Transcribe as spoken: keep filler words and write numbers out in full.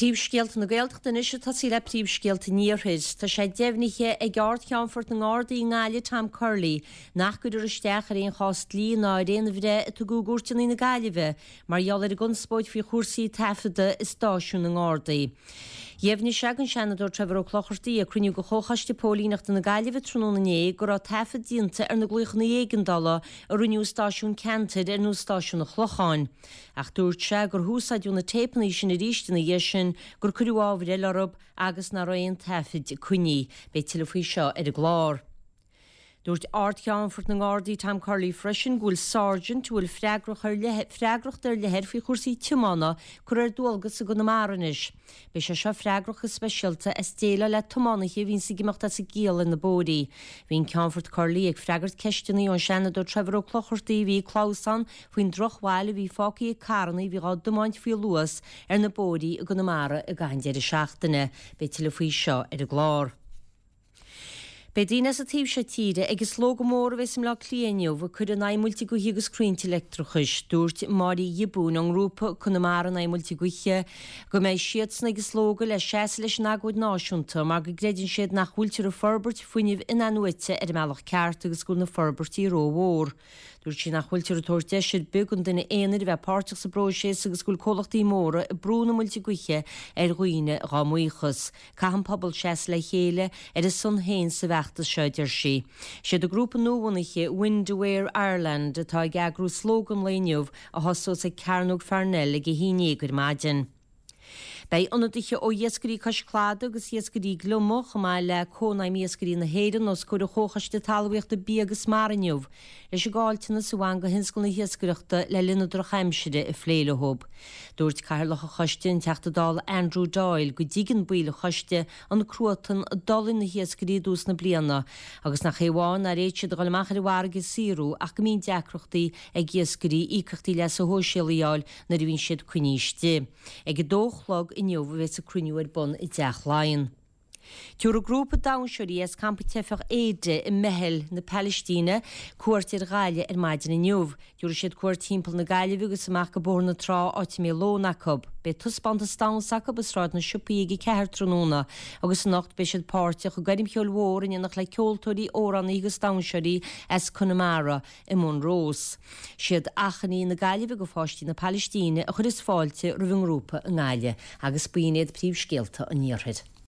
Príomhscéalta na Gaeltachta anois ag tosaí le príomhscéalta an Iarthair. Tá sé deimhnithe ag Ard-Cheannfort na nGardaí i nGaillimh Tom Curley nach gcuirfear isteach ar aon chás dlí ná ar aon bhreith a tugadh i gcúirteanna na Gaillimhe mar gheall ar an gconspóid faoi chúrsaí taifeadta i stáisiún na nGardaí. Dheimhnigh sé don Seanadóir Trevor Ó Clochartaigh ag cruinniú de Chomhchoiste Póilíneachta na Gaillimhe tráthnóna inné go raibh taifead déanta ar na glaochanna éigeandála a rinneadh i stáisiúin ceantair ar nós stáisiún an Chlocháin. Ach dúirt sé gur húsáideadh na téipeanna sin arís ina dhiaidh sin, gur cuireadh ábhar eile orthu agus nach raibh aon taifid coinnithe. Beidh tuilleadh faoi seo ar an gclár. Dúirt Ard-Cheannfort na nGardaí Tom Curley freisin go bhfuil Sergeant a bhfuil freagrach ar leith freagracht ar leith air faoi chúrsaí tiomána curtha ar dualgas i gConamara anois. Beidh sé seo freagrach go speisialta as déileáil le tiománaithe a bhíonns ag imeacht as a gciall ar na bóithrí. Bhí an Ceannfort Curley ag freagairt ceisteanna ón Seanadóir Trevor Ó Clochartaigh a bhí ag clamhsán faoin drochbhail a bhí fágtha ag carranna a bhí á dtiomáint faoi luas ar na bóithrí i gConamara i gcaitheamh an deireadh seachtaine. Beidh tuilleadh faoi seo ar an gclár. Beidh daoine as an taobh seo tíre ag an slógadh mór a bheas i mBleá Cliath inniu ag cur in aghaidh muilte gaoithe agus crainnte leictreachais. Dúirt Máire Ghiobúin ón ngrúpa Conamara in aghaidh Muilte Gaoithe go mbeidh siadsan ag an slógadh le seasamh leis an agóid náisiúnta mar go gcreideann siad nach bhfuiltear ag forbairt fuinnimh in-athnuaite ar an mbealach ceart agus go bhfuil na forbairtí rómhór. Dúirt sí nach bhfuiltear ag tabhairt deis ar bith don duine aonair a bheith páirteach sa bpróiseas agus go bhfuil comhlachtaí móra ag brú na muilte gaoithe ar dhaoine dá mbuíochas. Caithfidh an pobal seasamh le chéile ar a son féin sa bhfeachtas seo, a deir sí. Siad an grúpa nuabhunaithe Wind Aware Ireland atá ag eagrú slógadh an lae inniu a thosós ag Cearnóg Pharnell ag a haon déag ar maidin. Beidh ionadaithe ó Iascairí Cois Cladaigh agus Iascairí Gliomaigh, chomh maith le Cónaidhm Iascairí na hÉireann, os comhair an Chomhchoiste Talmhaíochta, Bia agus Mara inniu leis an gcaillteanas a bhain do thionscal na hiascaireachta le linn na drochaimsire a phlé leo. Dúirt Cathaoirleach an Choiste, an Teachta Dála Andrew Doyle, go dtuigeann baill an choiste an cruatan a d'fhulaing na hiascairí i dtús na bliana agus nach é amháin nár fhéad siad a dhul amach ar an bhfarraige ag saothrú ach go mbíonn deacrachtaí ag iascairí íocaíochtaí leasa shóisialaigh a fháil nuair a bhíonn siad coinnithe istigh. Ag a dó a chlog inniu a bheas an cruinniú ar bun i dTeach Laighean. Tabharfaidh grúpa damhsóirí as campa teifeach Éide i mBeithil na Palaistíne cuairt ar Ghaillimh ar maidin inniu. Tabharfaidh siad cuairt timpeall na Gaillimhe agus amach go Bóthar na Trá áit a mbeidh lón acu. Beidh taispeántas damhsa acu i Sráid na Siopaí ag a ceathair tráthnóna agus anocht beidh siad páirteach i gcoirm cheoil mhór in éineacht le ceoltóirí, amhránaithe agus damhsóirí as Conamara. I Monroe's. Siad Achainí na Gaillimhe do pháistí na Palaistíne a chuireas fáilte roimh an ngrúpa i nGaillimh agus b'in iad príomhscéalta an Iarthair.